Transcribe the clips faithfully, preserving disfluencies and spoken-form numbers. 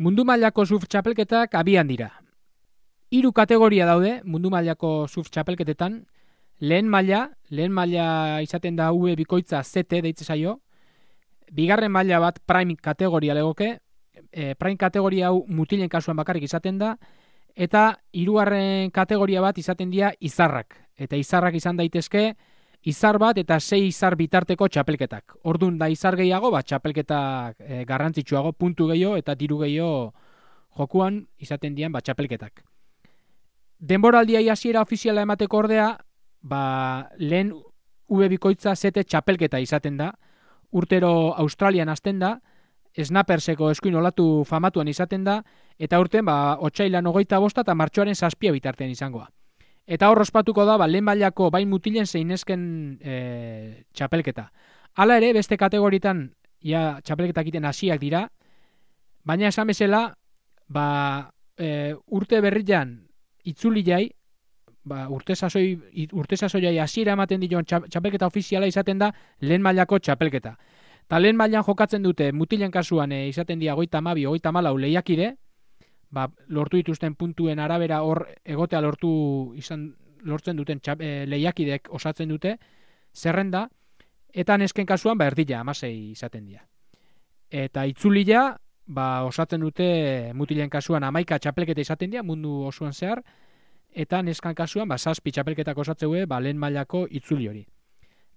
Mundu mailako surf txapelketak abian dira. Hiru kategoria daude mundu mailako surf txapelketetan. Lehen maila, lehen maila izaten da U E bikoitza Z T deitze zaio. Bigarren maila bat prime kategoria legoke. E, prime kategoria hau mutilen kasuan bakarrik izaten da. Eta hirugarren kategoria bat izaten dira izarrak. Eta izarrak izan daitezke izar bat eta sei izar bitarteko txapelketak. Ordun da izar gehiago, bat txapelketak e, garrantzitsuago, puntu gehiago eta diru gehiago jokuan izaten dian bat txapelketak. Denboraldiai hasiera ofiziala emateko ordea, ba, lehen U E bikoitza Z T txapelketa izaten da. Urtero Australian hasten da, Snapperseko eskuin olatu famatuan izaten da, eta urten ba, otsailan hogeita bosta eta martxoaren zazpia bitartean izangoa. Eta hor ospatuko da, ba, lehen mailako bain mutilen zeinesken e, txapelketa. Hala ere, beste kategoritan ja, txapelketak iten hasiak dira, baina esan bezala, ba, e, urte berrian itzuli jai, ba, urte sasoi, urte sasoiai hasiera ematen dion txapelketa ofiziala izaten da lehen mailako txapelketa. Ta lehen mailan jokatzen dute mutilen kasuan e, izaten dira hogeita hamabi, hogeita hamalau lehiakide, ba, lortu dituzten puntuen arabera hor egotea lortu izan lortzen duten txap, e, lehiakidek osatzen dute zerrenda, eta nesken kasuan ba erdila hamasei izaten dira. Eta itzulia ba, osatzen dute mutilen kasuan hamaika txapelketa izaten dira mundu osoan zehar, eta neskan kasuan ba zazpi txapelketak osatzeu ba lehen mailako itzuli hori.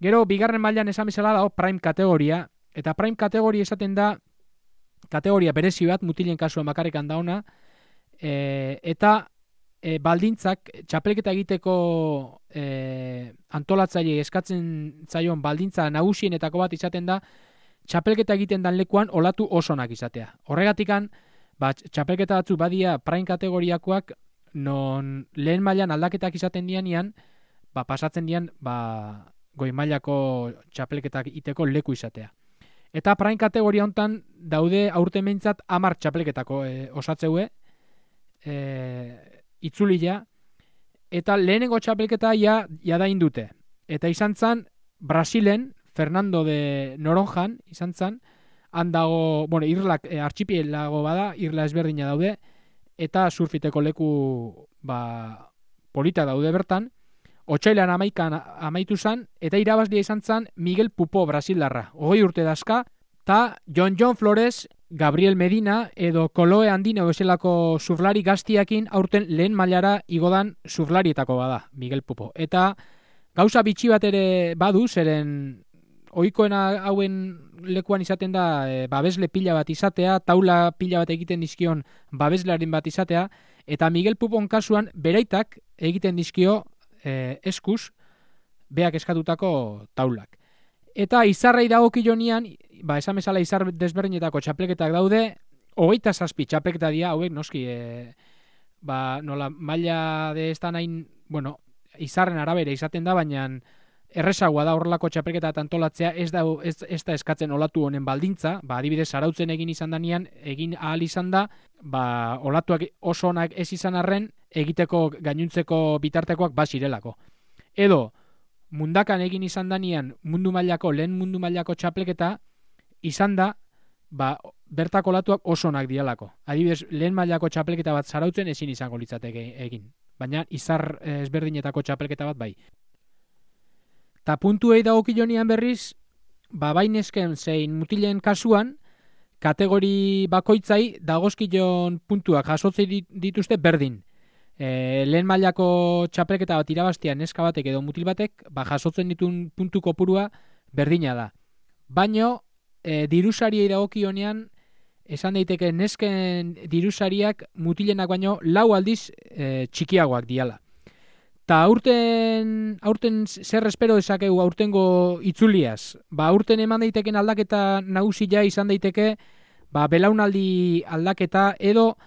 Gero bigarren mailan esan bezala dago prime kategoria, eta prime kategoria esaten da kategoria berezi bat mutilen kasuan bakarrik da ona, e, eta e, baldintzak txapelketa egiteko e, antolatzaile eskatzen zaion baldintza nagusienetako bat izaten da txapelketa egiten dan lekuan olatu osonak izatea. Horregatikan ba, txapelketa batzu badia prime kategoriakoak non lehen mailan aldaketak izaten dianean, ba, pasatzen dian ba, goi mailako txapelketak iteko leku izatea. Eta prime kategoria hontan daude aurten behintzat hamar txapelketako e, osatzeue e, itzulia, eta lehenengo txapelketa ja, ja da indute. Eta izan zan Brasilen, Fernando de Noronjan, izan zan, handago, bueno, irlak, e, artxipielago bada, irla ezberdina daude, eta surfiteko leku ba, polita daude bertan. Otsailan amaikan amaitu zan, eta irabazlia izan zan Miguel Pupo Brasildarra. Hogei urte dazka, eta John John Flores, Gabriel Medina, edo Koloe Andino bezalako surflari gaztiakin aurten lehen mailara igodan surflarietako bada, Miguel Pupo. Eta gauza bitxi bat ere badu, zeren ohikoena hauen lekuan izaten da e, babesle pila bat izatea, taula pila bat egiten dizkion babeslearen bat izatea, eta Miguel Pupon kasuan beraitak egiten dizkio e, eskuz beak eskatutako taulak. Eta izarrei dagokionean, ba esan bezala izar desberdinetako txapelketak daude, hogeita zazpi txapelketa dira, hauek noski e, ba nola maila de estan hain, bueno, izarren arabera izaten da, baina errezagoa da horrelako txapelketa antolatzea, ez da, ez, ez da eskatzen olatu honen baldintza, ba, adibidez Zarautzen egin izan danean, egin ahal izan da, ba, olatuak oso onak ez izan arren, egiteko gainuntzeko bitartekoak bazirelako. Edo, mundakan egin izan danean, mundu mailako, lehen mundu mailako txapelketa, izan da, ba, bertako olatuak oso onak dialako. Adibidez, lehen mailako txapelketa bat Zarautzen ezin izango litzateke egin, baina izar ezberdinetako txapelketa bat bai. Ta puntuei dagokionean berriz, ba bainesken zein mutilen kasuan, kategori bakoitzai dagozkion puntuak jasotzen dituzte berdin. E, lehen mailako txapelketa bat irabaztia neska batek edo mutil batek, ba jasotzen ditun puntu kopurua berdina da. Baino, e, dirusariei dagokionean, esan daiteke nesken dirusariak mutilenak baino lau aldiz e, txikiagoak diala. Ta aurten, aurten zer espero dezakegu aurtengo itzuliaz? Ba, aurten eman daiteken aldaketa nagusia izan daiteke, ba, belaunaldi aldaketa edo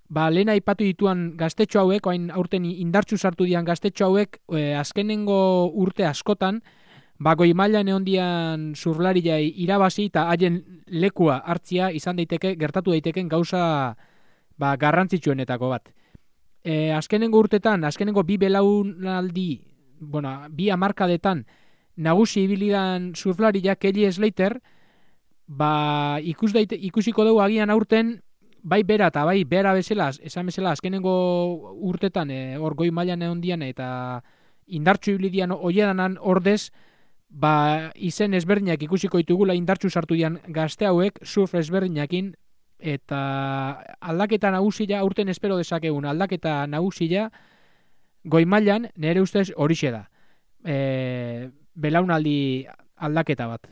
ba, lehen aipatu dituan gaztetxo hauek, oain aurten indartsu sartu dian gaztetxo hauek, e, azkenengo urte askotan, ba, goi mailan egon dian surflariai irabazi eta haien lekua hartzia izan daiteke, gertatu daiteken gauza ba, garrantzitsuenetako bat. E, azkenengo urtetan, azkenengo bi belaunaldi, bueno, bi hamarkadetan nagusi ibilidan surflariak Kelly Slater, ba, ikus daite, ikusiko dugu agian aurten bai bera eta bai bera bezala, esan bezala, azkenengo urtetan, e, hor goi mailan egon dian, eta indartsu iblidian oiedanan ordez, ba, izen ezberdinak ikusiko ditugula indartsu sartu dian gazte hauek, surf ezberdinakin, eta aldaketa nagusia, aurten espero dezakegun, aldaketa nagusia, goi mailan, nire ustez horixe da. E, belaunaldi aldaketa bat.